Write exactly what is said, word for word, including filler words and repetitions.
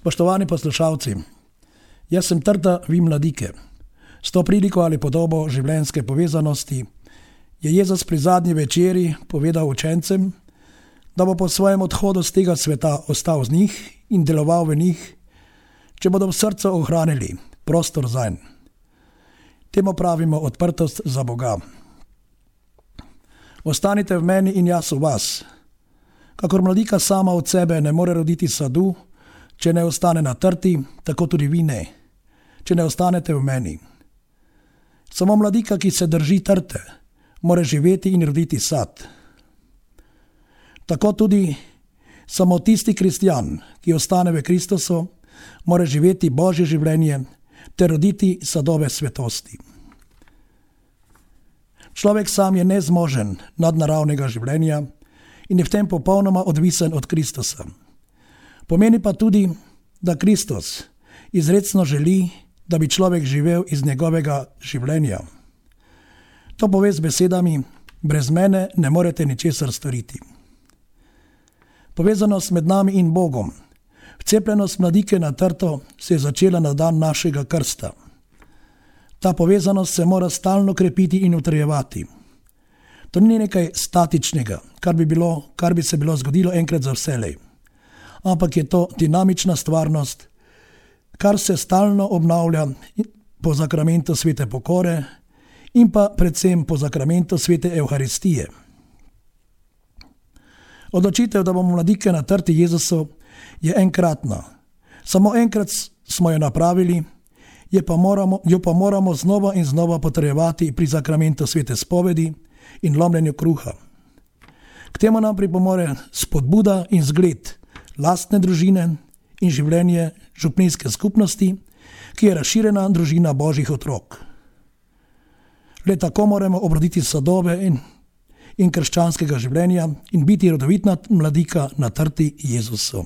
Spoštovani poslušalci, jaz sem Trta, vi mladike. S to priliko ali podobo življenjske povezanosti je Jezus pri zadnji večeri povedal učencem, da bo po svojem odhodu z tega sveta ostal z njih in deloval v njih, če bodo v srcu ohranili prostor zanj. Temu pravimo odprtost za Boga. Ostanite v meni in jaz v vas. Kakor mladika sama od sebe ne more roditi sadu, če ne ostane na trti, tako tudi vi ne, če ne ostanete v meni. Samo mladika, ki se drži trte, more živeti in roditi sad. Tako tudi samo tisti kristjan, ki ostane v Kristusu, more živeti Božje življenje ter roditi sadove svetosti. Človek sam je nezmožen nadnaravnega življenja in je v tem popolnoma odvisen od Kristusa. Pomeni pa tudi, da Kristus izrecno želi, da bi človek živel iz njegovega življenja. To pove z besedami: brez mene ne morete ničesar storiti. Povezanost med nami in Bogom, vcepljenost mladike na trto se je začela na dan našega krsta. Ta povezanost se mora stalno krepiti in utrjevati. To ni nekaj statičnega, kar bi, bilo, kar bi se bilo zgodilo enkrat za vselej, ampak je to dinamična stvarnost, kar se stalno obnavlja po zakramentu svete pokore in pa predvsem po zakramentu svete Evharistije. Odločitev, da bomo mladike na trti Jezusu, je enkratna. Samo enkrat smo jo napravili, je pa moramo, jo pa moramo znova in znova potrjevati pri zakramentu svete spovedi in lomljenju kruha. K temu nam pripomore spodbuda in zgled lastne družine in življenje župnijske skupnosti, ki je razširjena družina Božjih otrok. Le tako moramo obroditi sadove in, in krščanskega življenja in biti rodovitna mladika na trti Jezusu.